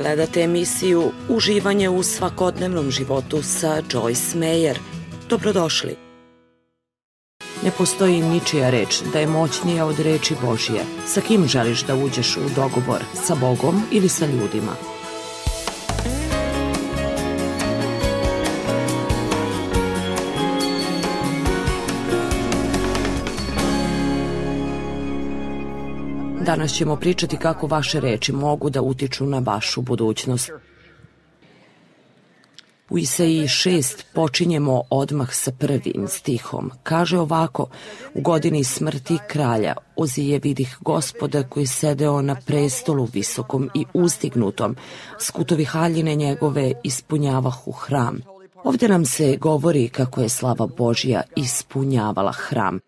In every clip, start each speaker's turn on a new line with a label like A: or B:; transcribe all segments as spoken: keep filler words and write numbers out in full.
A: Gledate emisiju Uživanje u svakodnevnom životu sa Joyce Meyer. Dobrodošli. Ne postoji ničija reč da je moćnija od reči Božje. Sa kim želiš da uđeš u dogovor? Sa Bogom ili sa ljudima? Danas ćemo pričati kako vaše reči mogu da utiču na vašu budućnost. U Isaiji šest počinjemo odmah sa prvim stihom. Kaže ovako: u godini smrti kralja Ozije vidih Gospoda koji sedeo na prestolu visokom i uzdignutom, skutovi haljine njegove ispunjavahu hram. Ovdje nam se govori kako je slava Božja ispunjavala hram.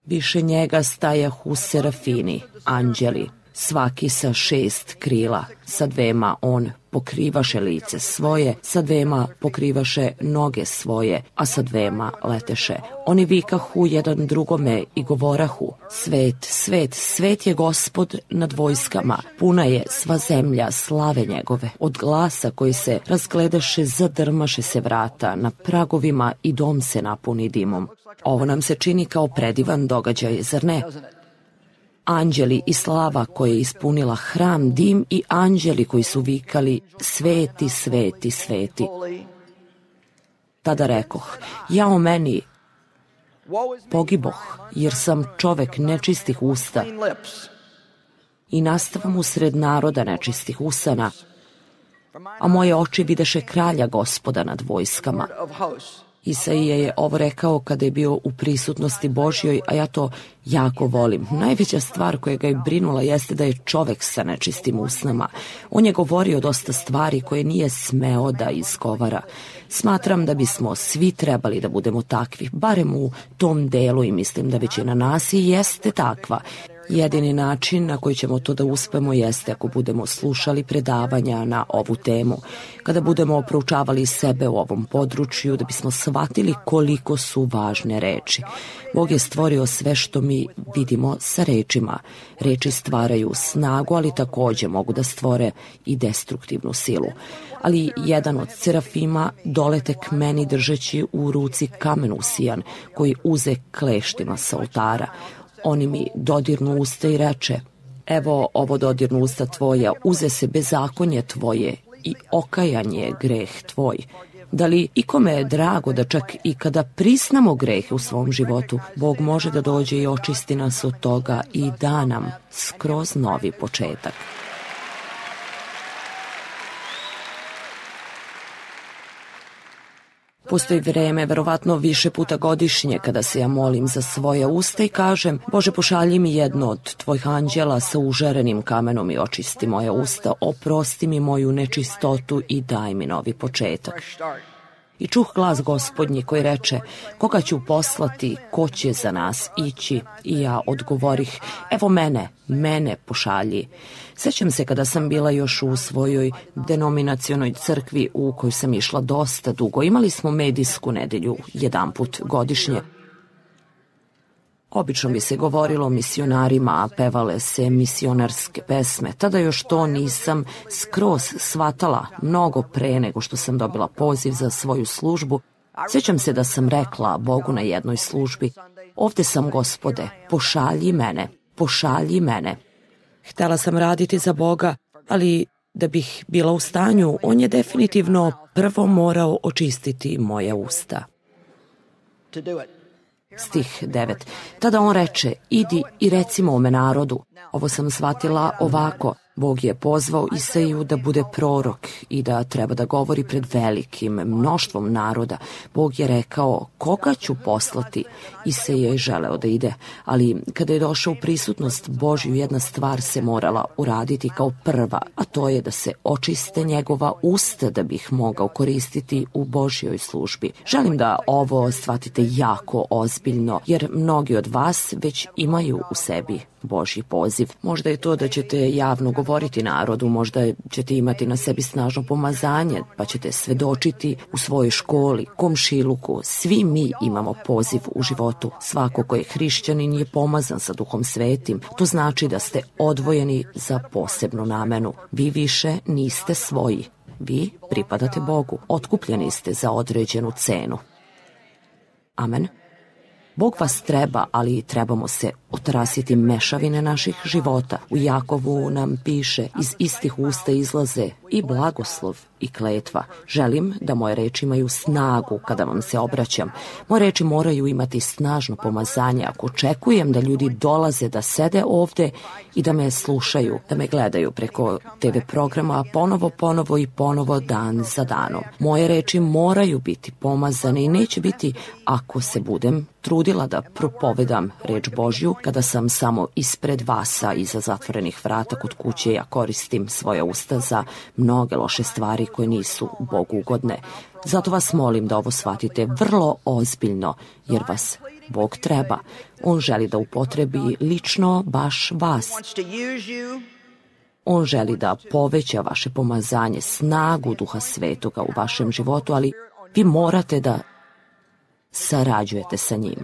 A: Više njega stajahu serafini, anđeli, svaki sa šest krila, sa dvema on pokrivaše lice svoje, sa dvema pokrivaše noge svoje, a sa dvema leteše. Oni vikahu jedan drugome i govorahu: svet, svet, svet je Gospod nad vojskama, puna je sva zemlja slave njegove. Od glasa koji se razgledaše zadrmaše se vrata na pragovima i dom se napuni dimom. Ovo nam se čini kao predivan događaj, zar ne? Anđeli i slava koja je ispunila hram, dim i anđeli koji su vikali: sveti, sveti, sveti. Tada rekoh: jao meni, pogiboh, jer sam čovek nečistih usta i nastavam usred naroda nečistih usana, a moje oči videše kralja Gospoda nad vojskama. Isaija je ovo rekao kada je bio u prisutnosti Božjoj, a ja to jako volim. Najveća stvar koja ga je brinula jeste da je čovek sa nečistim usnama. On je govorio dosta stvari koje nije smeo da izgovara. Smatram da bismo svi trebali da budemo takvi, barem u tom delu, i mislim da većina nas i jeste takva. Jedini način na koji ćemo to da uspemo jeste ako budemo slušali predavanja na ovu temu, kada budemo proučavali sebe u ovom području, da bismo shvatili koliko su važne reči. Bog je stvorio sve što mi vidimo sa rečima. Reči stvaraju snagu, ali takođe mogu da stvore i destruktivnu silu. Ali jedan od serafima dolete k meni držeći u ruci kamen usijan, koji uze kleštima sa oltara. Oni mi dodirnu usta i reče: evo ovo dodirnu usta tvoja, uze se bezakonje tvoje i okajanje je greh tvoj. Da li ikome je drago da čak i kada prisnamo grehe u svom životu, Bog može da dođe i očisti nas od toga i da nam skroz novi početak. Postoji vreme, verovatno više puta godišnje, kada se ja molim za svoja usta i kažem: Bože, pošalji mi jedno od tvojih anđela sa užarenim kamenom i očisti moja usta, oprosti mi moju nečistotu i daj mi novi početak. I čuh glas Gospodnji koji reče: koga ću poslati, ko će za nas ići? I ja odgovorih: evo mene, mene pošalji. Sećam se kada sam bila još u svojoj denominacionoj crkvi u kojoj sam išla dosta dugo. Imali smo medijsku nedelju jedanput godišnje. Obično bi se govorilo o misionarima, a pevale se misionarske pesme. Tada još to nisam skroz shvatala, mnogo pre nego što sam dobila poziv za svoju službu. Sjećam se da sam rekla Bogu na jednoj službi: ovde sam, Gospode, pošalji mene, pošalji mene. Htela sam raditi za Boga, ali da bih bila u stanju, on je definitivno prvo morao očistiti moja usta. Stih devet. Tada on reče: idi i recimo ome narodu. Ovo sam shvatila ovako: Bog je pozvao Isaiju da bude prorok i da treba da govori pred velikim mnoštvom naroda. Bog je rekao: koga ću poslati? Isaija je želeo da ide, ali kada je došao u prisutnost Božju, jedna stvar se morala uraditi kao prva, a to je da se očiste njegova usta da bih mogao koristiti u Božjoj službi. Želim da ovo shvatite jako ozbiljno, jer mnogi od vas već imaju u sebi Božji poziv. Možda je to da ćete javno govoriti narodu, možda ćete imati na sebi snažno pomazanje, pa ćete svedočiti u svojoj školi, komšiluku. Svi mi imamo poziv u životu. Svako ko je hrišćanin je pomazan sa Duhom Svetim. To znači da ste odvojeni za posebnu namenu. Vi više niste svoji. Vi pripadate Bogu. Otkupljeni ste za određenu cenu. Amen. Bog vas treba, ali trebamo se otrasiti mešavine naših života. U Jakovu nam piše, iz istih usta izlaze i blagoslov i kletva. Želim da moje reči imaju snagu kada vam se obraćam. Moje reči moraju imati snažno pomazanje. Ako očekujem da ljudi dolaze da sede ovde i da me slušaju, da me gledaju preko te ve programa ponovo, ponovo i ponovo dan za danom. Moje reči moraju biti pomazane i neće biti ako se budem trudila da propovedam reč Božju kada sam samo ispred vasa iza zatvorenih vrata kod kuće. Ja koristim svoja usta za mnoge loše stvari koje nisu Bogu ugodne. Zato vas molim da ovo shvatite vrlo ozbiljno, jer vas Bog treba. On želi da upotrebi lično baš vas. On želi da poveća vaše pomazanje, snagu Duha Svetoga u vašem životu, ali vi morate da sarađujete sa njim.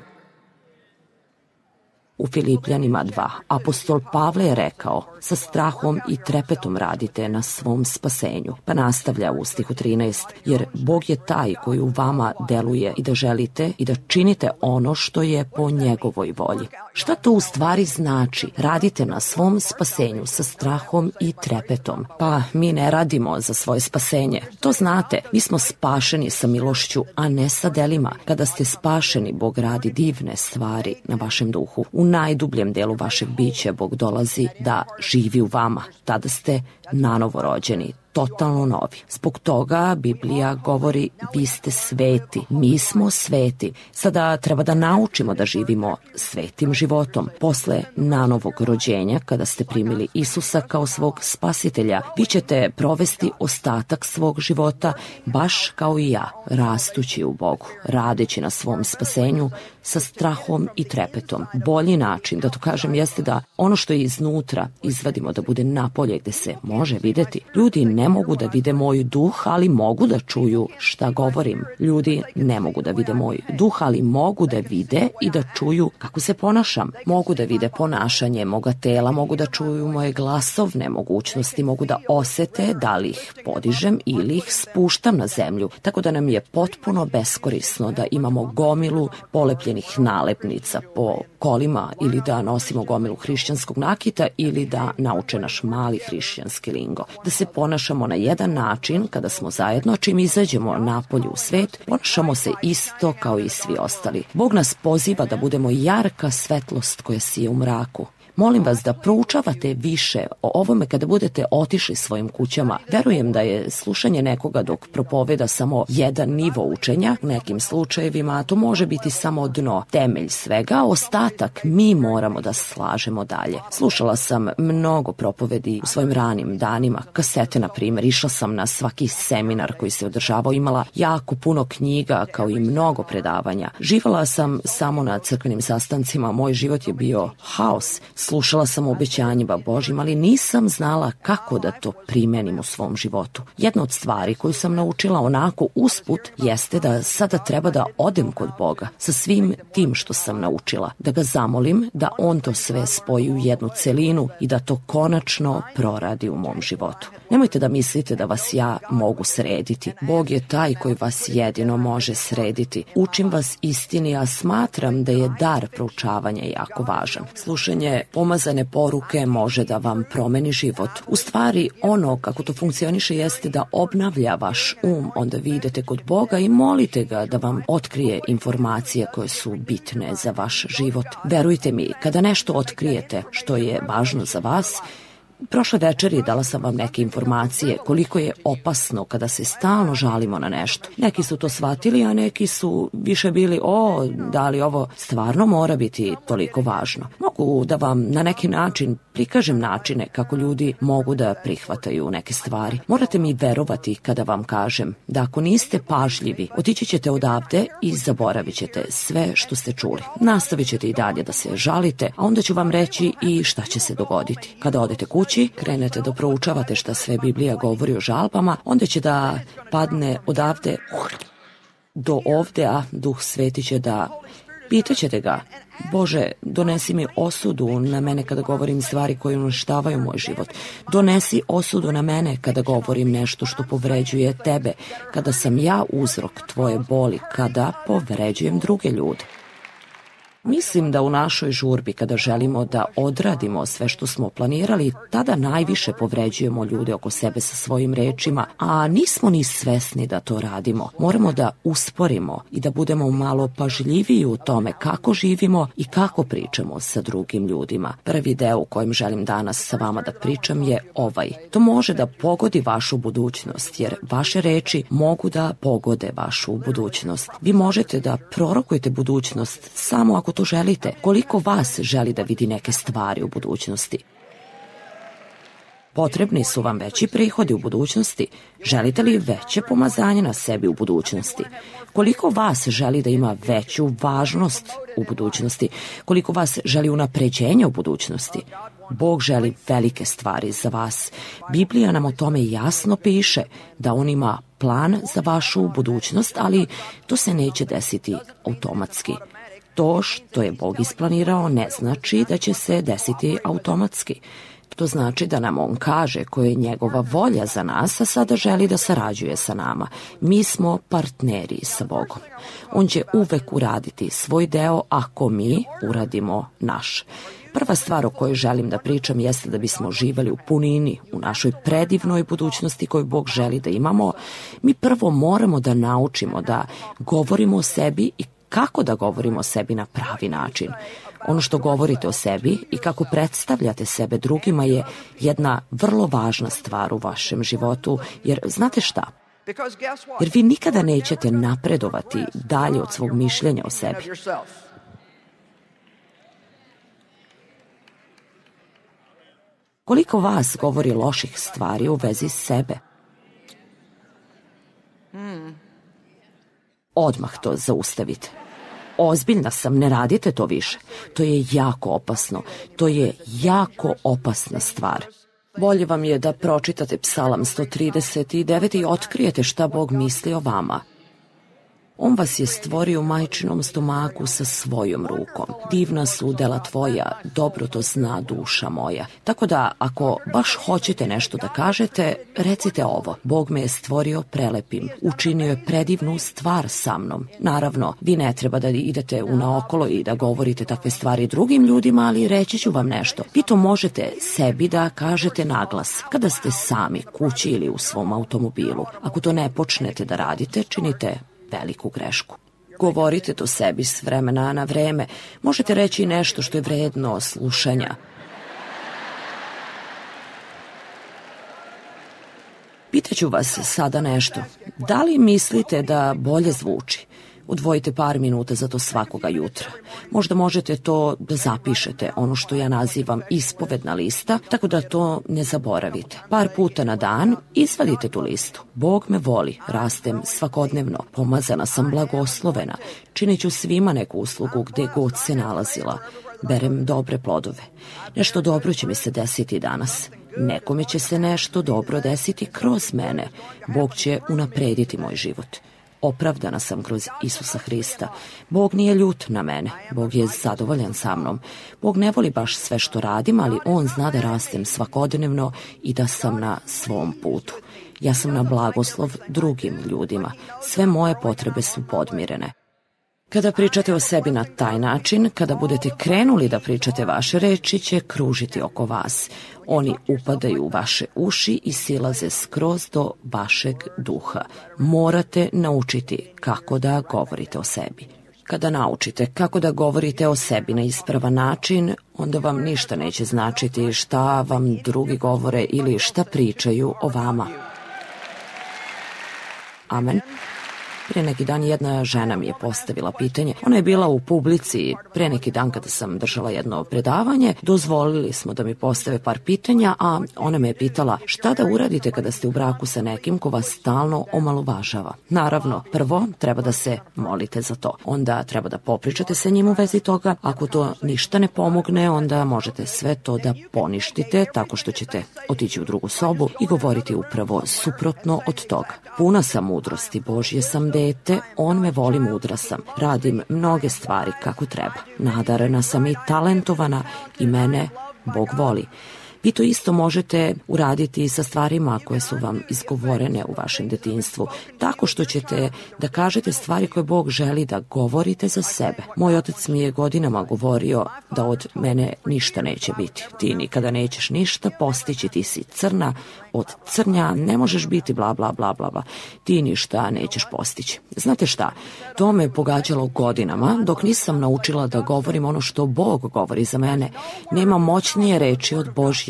A: U Filipljanima dva, apostol Pavle je rekao, sa strahom i trepetom radite na svom spasenju. Pa nastavlja u stihu trinaest, jer Bog je taj koji u vama deluje i da želite i da činite ono što je po njegovoj volji. Šta to u stvari znači? Radite na svom spasenju sa strahom i trepetom. Pa mi ne radimo za svoje spasenje. To znate, mi smo spašeni sa milošću, a ne sa delima. Kada ste spašeni, Bog radi divne stvari na vašem duhu. U najdubljem delu vašeg bića Bog dolazi da živi u vama. Tada ste nanovo rođeni, totalno novi. Zbog toga Biblija govori, vi ste sveti, mi smo sveti. Sada treba da naučimo da živimo svetim životom. Posle nanovog rođenja, kada ste primili Isusa kao svog spasitelja, vi ćete provesti ostatak svog života baš kao i ja, rastući u Bogu, radeći na svom spasenju sa strahom i trepetom. Bolji način, da to kažem, jeste da ono što je iznutra izvadimo da bude napolje gde se može videti. Ljudi ne mogu da vide moj duh, ali mogu da čuju šta govorim. Ljudi ne mogu da vide moj duh, ali mogu da vide i da čuju kako se ponašam. Mogu da vide ponašanje moga tela, mogu da čuju moje glasovne mogućnosti, mogu da osete da li ih podižem ili ih spuštam na zemlju. Tako da nam je potpuno beskorisno da imamo gomilu polepljenih nalepnica po kolima ili da nosimo gomilu hrišćanskog nakita ili da nauče naš mali hrišćanski lingo. Da se ponašamo na jedan način kada smo zajedno, čim izađemo napolju u svet, ponašamo se isto kao i svi ostali. Bog nas poziva da budemo jarka svetlost koja sije u mraku. Molim vas da proučavate više o ovome kada budete otišli svojim kućama. Verujem da je slušanje nekoga dok propoveda samo jedan nivo učenja. U nekim slučajevima to može biti samo dno, temelj svega, ostatak mi moramo da slažemo dalje. Slušala sam mnogo propovedi u svojim ranim danima, kasete na primjer, išla sam na svaki seminar koji se održavao, imala jako puno knjiga kao i mnogo predavanja. Živala sam samo na crkvenim sastancima, moj život je bio haos. Slušala sam o obećanjima Božjim, ali nisam znala kako da to primenim u svom životu. Jedna od stvari koju sam naučila onako usput jeste da sada treba da odem kod Boga sa svim tim što sam naučila, da ga zamolim da on to sve spoji u jednu celinu i da to konačno proradi u mom životu. Nemojte da mislite da vas ja mogu srediti. Bog je taj koji vas jedino može srediti. Učim vas istini, a smatram da je dar proučavanja jako važan. Slušanje pomazane poruke može da vam promeni život. U stvari, ono kako to funkcioniše jeste da obnavlja vaš um, onda vi idete kod Boga i molite ga da vam otkrije informacije koje su bitne za vaš život. Verujte mi, kada nešto otkrijete što je važno za vas, prošle večeri dala sam vam neke informacije koliko je opasno kada se stalno žalimo na nešto. Neki su to shvatili, a neki su više bili, o, da li ovo stvarno mora biti toliko važno. Mogu da vam na neki način prikažem načine kako ljudi mogu da prihvataju neke stvari. Morate mi verovati kada vam kažem da ako niste pažljivi, otići ćete odavde i zaboravit ćete sve što ste čuli. Nastavit ćete i dalje da se žalite, a onda ću vam reći i šta će se dogoditi. Kada odete kući, krenete da proučavate šta sve Biblija govori o žalbama, onda će da padne odavde do ovde, a Duh Sveti će da... Pitaćete ga, Bože, donesi mi osudu na mene kada govorim stvari koje uništavaju moj život. Donesi osudu na mene kada govorim nešto što povređuje tebe, kada sam ja uzrok tvoje boli, kada povređujem druge ljude. Mislim da u našoj žurbi, kada želimo da odradimo sve što smo planirali, tada najviše povređujemo ljude oko sebe sa svojim rečima, a nismo ni svesni da to radimo. Moramo da usporimo i da budemo malo pažljiviji u tome kako živimo i kako pričamo sa drugim ljudima. Prvi deo u kojem želim danas sa vama da pričam je ovaj. To može da pogodi vašu budućnost, jer vaše reči mogu da pogode vašu budućnost. Vi možete da prorokujete budućnost samo ako to želite. Koliko vas želi da vidi neke stvari u budućnosti? Potrebni su vam veći prihodi u budućnosti? Želite li veće pomazanje na sebi u budućnosti? Koliko vas želi da ima veću važnost u budućnosti? Koliko vas želi unapređenje u budućnosti? Bog želi velike stvari za vas. Biblija nam o tome jasno piše da on ima plan za vašu budućnost, ali to se neće desiti automatski. To što je Bog isplanirao ne znači da će se desiti automatski. To znači da nam on kaže koja je njegova volja za nas, a sada želi da sarađuje sa nama. Mi smo partneri sa Bogom. On će uvek uraditi svoj deo ako mi uradimo naš. Prva stvar o kojoj želim da pričam jeste da bismo živeli u punini, u našoj predivnoj budućnosti koju Bog želi da imamo. Mi prvo moramo da naučimo da govorimo o sebi i kako da govorimo o sebi na pravi način. Ono što govorite o sebi i kako predstavljate sebe drugima je jedna vrlo važna stvar u vašem životu, jer znate šta? Jer vi nikada nećete napredovati dalje od svog mišljenja o sebi. Koliko vas govori loših stvari u vezi sebe? Odmah to zaustavite. Ozbiljna sam, ne radite to više. To je jako opasno. To je jako opasna stvar. Bolje vam je da pročitate Psalam sto trideset devet i otkrijete šta Bog misli o vama. On vas je stvorio u majčinom stomaku sa svojom rukom. Divna su dela tvoja, dobro to zna duša moja. Tako da, ako baš hoćete nešto da kažete, recite ovo. Bog me je stvorio prelepim, učinio je predivnu stvar sa mnom. Naravno, vi ne treba da idete unaokolo i da govorite takve stvari drugim ljudima, ali reći ću vam nešto. Vi to možete sebi da kažete naglas, kada ste sami kući ili u svom automobilu. Ako to ne počnete da radite, činite veliku grešku. Govorite to sebi s vremena na vreme. Možete reći nešto što je vredno slušanja. Pitaću vas sada nešto. Da li mislite da bolje zvuči? Odvojite par minuta za to svakoga jutra. Možda možete to da zapišete, ono što ja nazivam ispovedna lista, tako da to ne zaboravite. Par puta na dan izvadite tu listu. Bog me voli, rastem svakodnevno, pomazana sam, blagoslovena, činit ću svima neku uslugu gde god se nalazila. Berem dobre plodove. Nešto dobro će mi se desiti danas. Nekome će se nešto dobro desiti kroz mene. Bog će unaprediti moj život. Opravdana sam kroz Isusa Hrista. Bog nije ljut na mene. Bog je zadovoljan sa mnom. Bog ne voli baš sve što radim, ali on zna da rastem svakodnevno i da sam na svom putu. Ja sam na blagoslov drugim ljudima. Sve moje potrebe su podmirene. Kada pričate o sebi na taj način, kada budete krenuli da pričate, vaše reči će kružiti oko vas. Oni upadaju u vaše uši i silaze skroz do vašeg duha. Morate naučiti kako da govorite o sebi. Kada naučite kako da govorite o sebi na ispravan način, onda vam ništa neće značiti šta vam drugi govore ili šta pričaju o vama. Amen. Pre neki dan jedna žena mi je postavila pitanje. Ona je bila u publici pre neki dan kada sam držala jedno predavanje. Dozvolili smo da mi postave par pitanja, a ona me je pitala šta da uradite kada ste u braku sa nekim ko vas stalno omalovažava. Naravno, prvo treba da se molite za to. Onda treba da popričate sa njim u vezi toga. Ako to ništa ne pomogne, onda možete sve to da poništite tako što ćete otići u drugu sobu i govoriti upravo suprotno od toga. Puna sam mudrosti, Božje sam dete, on me voli, mudra sam. Radim mnoge stvari kako treba. Nadarena sam i talentovana i mene Bog voli. Vi to isto možete uraditi i sa stvarima koje su vam izgovorene u vašem detinjstvu, tako što ćete da kažete stvari koje Bog želi da govorite za sebe. Moj otac mi je godinama govorio da od mene ništa neće biti. Ti nikada nećeš ništa postići, ti si crna, od crnja ne možeš biti bla bla bla bla bla. Ti ništa nećeš postići. Znate šta? To me pogađalo godinama dok nisam naučila da govorim ono što Bog govori za mene. Nema moćnije reči od Božje.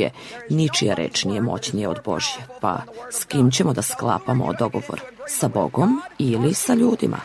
A: Ničija reč nije moćnije od Božje. Pa s kim ćemo da sklapamo dogovor? Sa Bogom ili sa ljudima?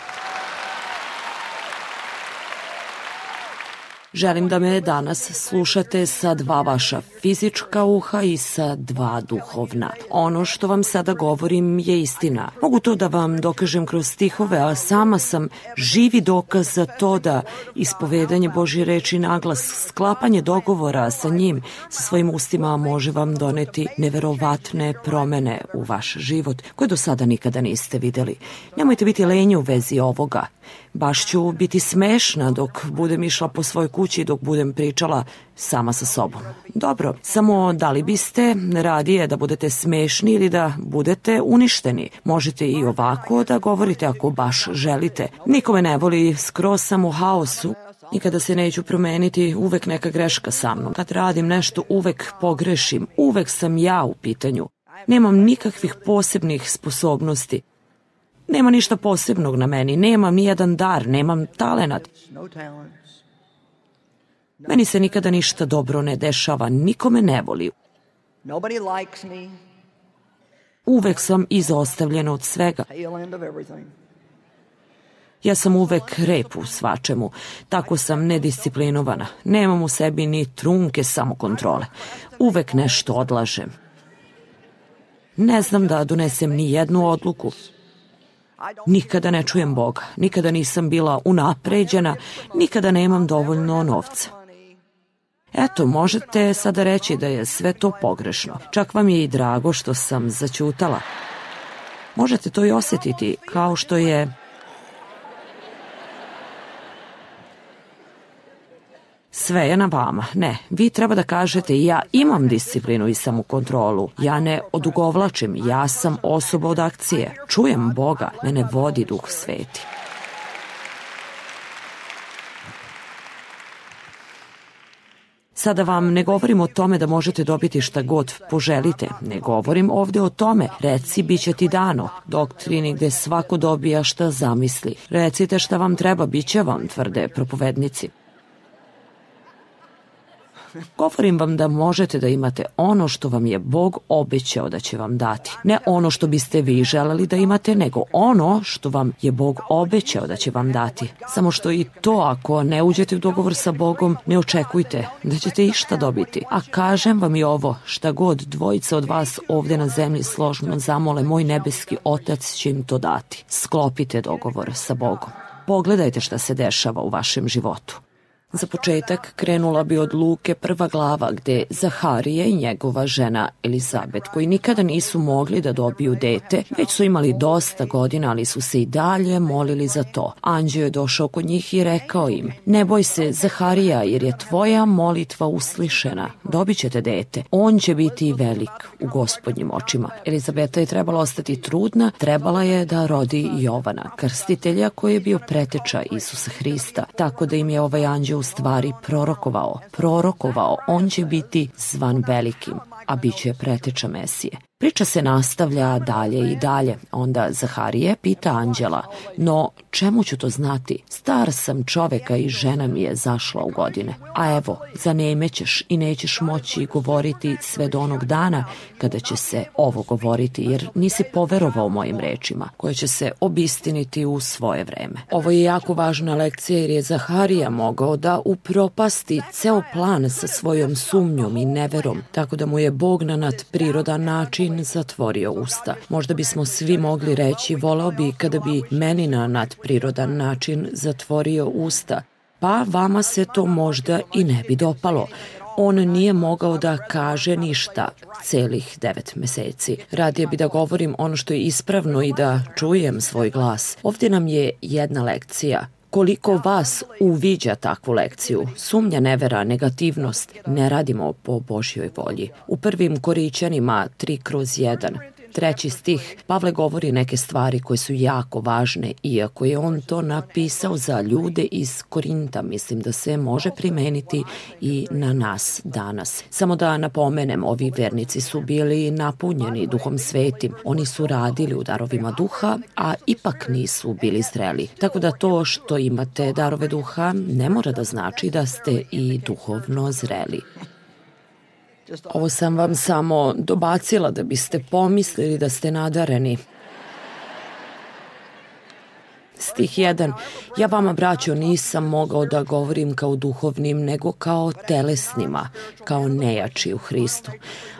A: Želim da me danas slušate sa dva vaša fizička uha i sa dva duhovna. Ono što vam sada govorim je istina. Mogu to da vam dokažem kroz stihove, a sama sam živi dokaz za to da ispovedanje Božje reči naglas, sklapanje dogovora sa njim, sa svojim ustima može vam doneti neverovatne promene u vaš život koje do sada nikada niste videli. Nemojte biti lenji u vezi ovoga. Baš ću biti smešna dok budem išla po svojoj kući, dok budem pričala sama sa sobom. Dobro, samo da li biste radije da budete smešni ili da budete uništeni? Možete i ovako da govorite ako baš želite. Nikome ne voli, skroz sam u haosu. Nikada se neću promeniti, uvek neka greška sa mnom. Kad radim nešto, uvek pogrešim, uvek sam ja u pitanju. Nemam nikakvih posebnih sposobnosti. Nema ništa posebnog na meni, nemam ni jedan dar, nemam talenat. Meni se nikada ništa dobro ne dešava, nikome ne voli. Uvek sam izostavljena od svega. Ja sam uvek rep u svačemu, tako sam nedisciplinovana. Nemam u sebi ni trunke samokontrole. Uvek nešto odlažem. Ne znam da donesem ni jednu odluku. Nikada ne čujem Boga, nikada nisam bila unapređena, nikada nemam dovoljno novca. Eto, možete sada reći da je sve to pogrešno. Čak vam je i drago što sam zaćutala. Možete to i osjetiti, kao što je... Sve je na vama. Ne, vi treba da kažete ja imam disciplinu i samokontrolu. Ja ne odugovlačim, ja sam osoba od akcije. Čujem Boga, mene vodi Duh Sveti. Sada vam ne govorim o tome da možete dobiti šta god poželite. Ne govorim ovde o tome. Reci, bit će ti dano. Doktrini gde svako dobija šta zamisli. Recite šta vam treba, bit će vam, tvrde propovednici. Govorim vam da možete da imate ono što vam je Bog obećao da će vam dati. Ne ono što biste vi želeli da imate, nego ono što vam je Bog obećao da će vam dati. Samo što i to, ako ne uđete u dogovor sa Bogom, ne očekujte da ćete išta dobiti. A kažem vam i ovo, šta god dvojica od vas ovde na zemlji složno zamole, moj nebeski Otac će im to dati. Sklopite dogovor sa Bogom. Pogledajte šta se dešava u vašem životu. Za početak krenula bi od Luke prva glava gde Zaharije i njegova žena Elizabet, koji nikada nisu mogli da dobiju dete, već su imali dosta godina, ali su se i dalje molili za to. Anđeo je došao kod njih i rekao im, ne boj se Zaharija, jer je tvoja molitva uslišena, dobit ćete dete. On će biti velik u Gospodnjim očima. Elizabeta je trebala ostati trudna, trebala je da rodi Jovana, krstitelja koji je bio preteča Isusa Hrista, tako da im je ovaj anđeo u stvari prorokovao, prorokovao, on će biti zvan velikim. a bit će preteča Mesije. Priča se nastavlja dalje i dalje. Onda Zaharije pita anđela, no čemu ću to znati? Star sam čoveka i žena mi je zašla u godine. A evo, zanemećeš i nećeš moći govoriti sve do onog dana kada će se ovo govoriti, jer nisi poverovao mojim rečima, koje će se obistiniti u svoje vreme. Ovo je jako važna lekcija jer je Zaharija mogao da upropasti ceo plan sa svojom sumnjom i neverom, tako da mu je Bog na nadprirodan način zatvorio usta. Možda bismo svi mogli reći, voleo bi kada bi meni na nadprirodan način zatvorio usta, pa vama se to možda i ne bi dopalo. On nije mogao da kaže ništa celih devet meseci. Radije bi da govorim ono što je ispravno i da čujem svoj glas. Ovdje nam je jedna lekcija. Koliko vas uviđa takvu lekciju? Sumnja, nevera, negativnost. Ne radimo po Božjoj volji. U prvim Korićanima tri kroz jedan, treći stih, Pavle govori neke stvari koje su jako važne, iako je on to napisao za ljude iz Korinta. Mislim da se može primeniti i na nas danas. Samo da napomenem, ovi vernici su bili napunjeni Duhom Svetim. Oni su radili u darovima duha, a ipak nisu bili zreli. Tako da to što imate darove duha ne mora da znači da ste i duhovno zreli. Ovo sam vam samo dobacila da biste pomislili da ste nadareni. Stih jedan. Ja vama, braćo, nisam mogao da govorim kao duhovnim, nego kao telesnima, kao nejači u Hristu.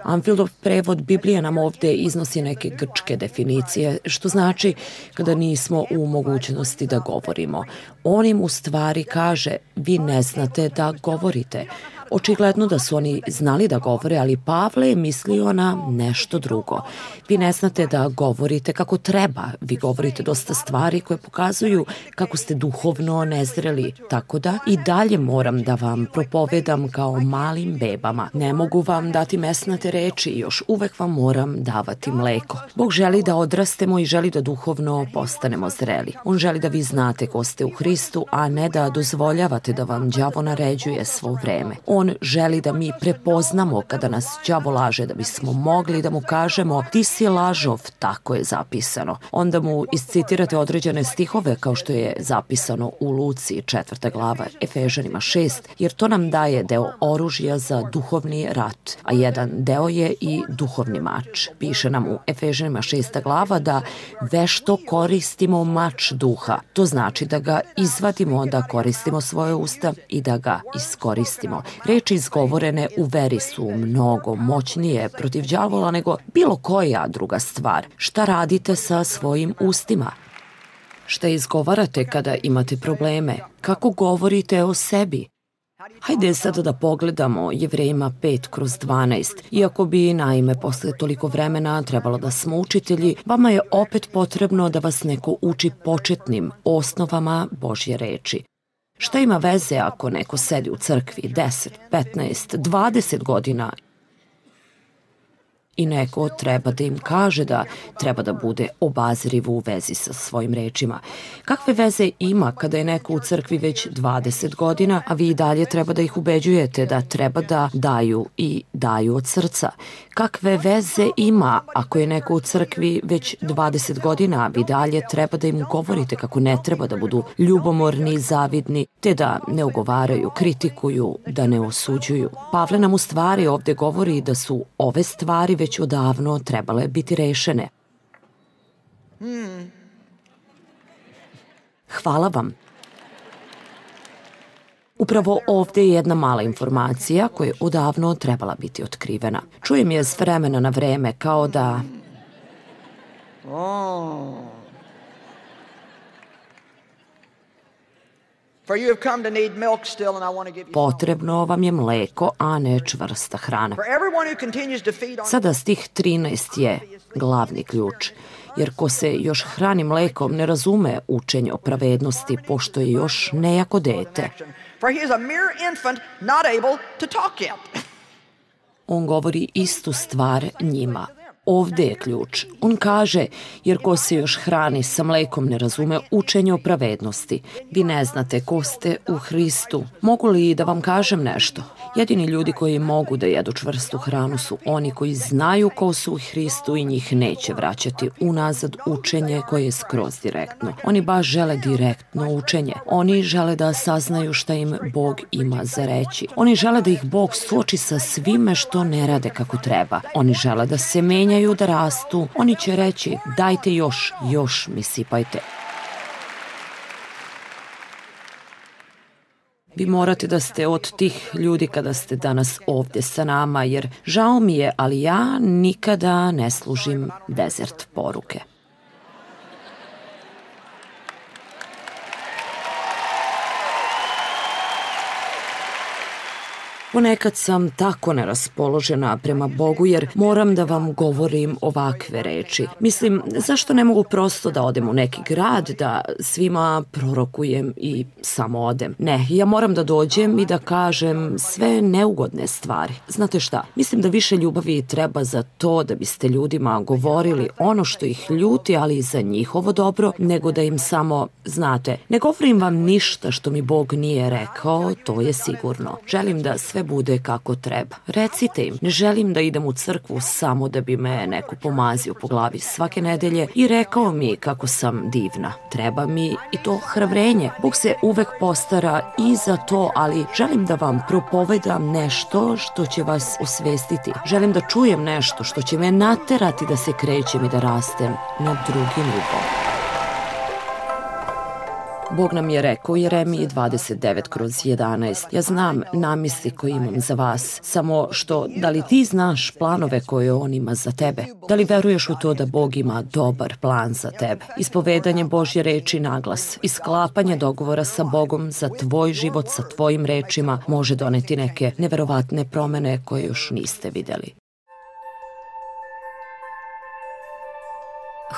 A: Amfildov prevod Biblije nam ovde iznosi neke grčke definicije, što znači kada nismo u mogućnosti da govorimo. On im u stvari kaže, vi ne znate da govorite. Očigledno da su oni znali da govore, ali Pavle je mislio na nešto drugo. Vi ne znate da govorite kako treba. Vi govorite dosta stvari koje pokazuju kako ste duhovno nezreli. Tako da i dalje moram da vam propovedam kao malim bebama. Ne mogu vam dati mesnate reči i još uvek vam moram davati mleko. Bog želi da odrastemo i želi da duhovno postanemo zreli. On želi da vi znate ko ste u Hristu, a ne da dozvoljavate da vam đavo naređuje svo vreme. On želi da mi prepoznamo kada nas đavo laže, da bismo mogli da mu kažemo ti si lažov, tako je zapisano. Onda mu iscitirate određene stihove kao što je zapisano u Luci četvrta glava, Efežanima šest, jer to nam daje deo oružja za duhovni rat, a jedan deo je i duhovni mač. Piše nam u Efežanima šesta glava da vešto koristimo mač duha. To znači da ga izvadimo, da koristimo svoje usta i da ga iskoristimo. Reči izgovorene u veri su mnogo moćnije protiv đavola nego bilo koja druga stvar. Šta radite sa svojim ustima? Šta izgovarate kada imate probleme? Kako govorite o sebi? Hajde sada da pogledamo Jevrejima pet kroz dvanaest. Iako bi, naime, posle toliko vremena trebalo da smo učitelji, vama je opet potrebno da vas neko uči početnim osnovama Božje reči. Šta ima veze ako neko sedi u crkvi deset, petnaest, dvadeset godina i neko treba da im kaže da treba da bude obazriv u vezi sa svojim rečima? Kakve veze ima kada je neko u crkvi već dvadeset godina, a vi i dalje treba da ih ubeđujete da treba da daju i daju od srca? Kakve veze ima ako je neko u crkvi već dvadeset godina, a vi dalje treba da im govorite kako ne treba da budu ljubomorni, zavidni, te da ne ugovaraju, kritikuju, da ne osuđuju? Pavle nam u stvari ovde govori da su ove stvari već odavno trebale biti rešene. Hvala vam. Upravo ovde je jedna mala informacija koja je odavno trebala biti otkrivena. Čujem je s vremena na vreme kao da... Potrebno vam je mleko, a ne čvrsta hrana. Sada stih trinaest je glavni ključ, jer ko se još hrani mlekom ne razume učenje o pravednosti, pošto je još nejako dete. On govori istu stvar njima. Ovde je ključ. On kaže, jer ko se još hrani sa mlekom ne razume učenje o pravednosti. Vi ne znate ko ste u Hristu. Mogu li da vam kažem nešto? Jedini ljudi koji mogu da jedu čvrstu hranu su oni koji znaju ko su u Hristu i njih neće vraćati unazad učenje koje je skroz direktno. Oni baš žele direktno učenje. Oni žele da saznaju šta im Bog ima za reći. Oni žele da ih Bog suoči sa svime što ne rade kako treba. Oni žele da se menjaju, da rastu. Oni će reći, dajte još, još mi sipajte. Vi morate da ste od tih ljudi kada ste danas ovde sa nama, jer žao mi je, ali ja nikada ne služim dezert poruke. Ponekad sam tako neraspoložena prema Bogu jer moram da vam govorim ovakve reči. Mislim, zašto ne mogu prosto da odem u neki grad, da svima prorokujem i samo odem? Ne, ja moram da dođem i da kažem sve neugodne stvari. Znate šta, mislim da više ljubavi treba za to da biste ljudima govorili ono što ih ljuti, ali i za njihovo dobro, nego da im samo, znate, ne govorim vam ništa što mi Bog nije rekao, to je sigurno. Želim da sve bude kako treba. Recite im, ne želim da idem u crkvu samo da bi me neko pomazio po glavi svake nedelje i rekao mi kako sam divna. Treba mi i to hrabrenje. Bog se uvek postara i za to, ali želim da vam propovedam nešto što će vas osvestiti. Želim da čujem nešto što će me naterati da se krećem i da rastem na drugi nivo. Bog nam je rekao u Jeremiji dvadeset devet kroz jedanaest. Ja znam namisli koje imam za vas, samo što da li ti znaš planove koje on ima za tebe? Da li veruješ u to da Bog ima dobar plan za tebe? Ispovedanje Božje reči naglas, isklapanje dogovora sa Bogom za tvoj život sa tvojim rečima može doneti neke neverovatne promene koje još niste videli.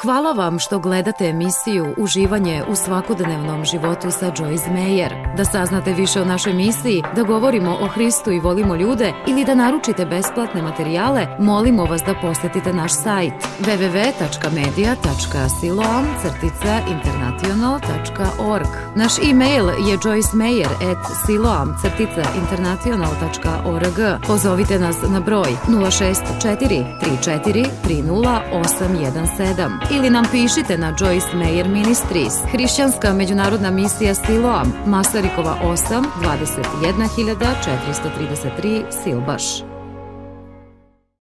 B: Hvala vam što gledate emisiju Uživanje u svakodnevnom životu sa Joyce Meyer. Da saznate više o našoj misiji, da govorimo o Hristu i volimo ljude ili da naručite besplatne materijale, molimo vas da posetite naš sajt w w w tačka media tačka siloam crtica international tačka org. Naš e-mail je joycemeyer at siloam crtica international tačka org. Pozovite nas na broj nula šest četiri tri četiri tri nula osam jedan sedam. Ili nam pišite na Joyce Meyer Ministries, Hrišćanska međunarodna misija Siloam, Masarikova osam, dvadeset jedna hiljada četiristo trideset tri, Silbaš.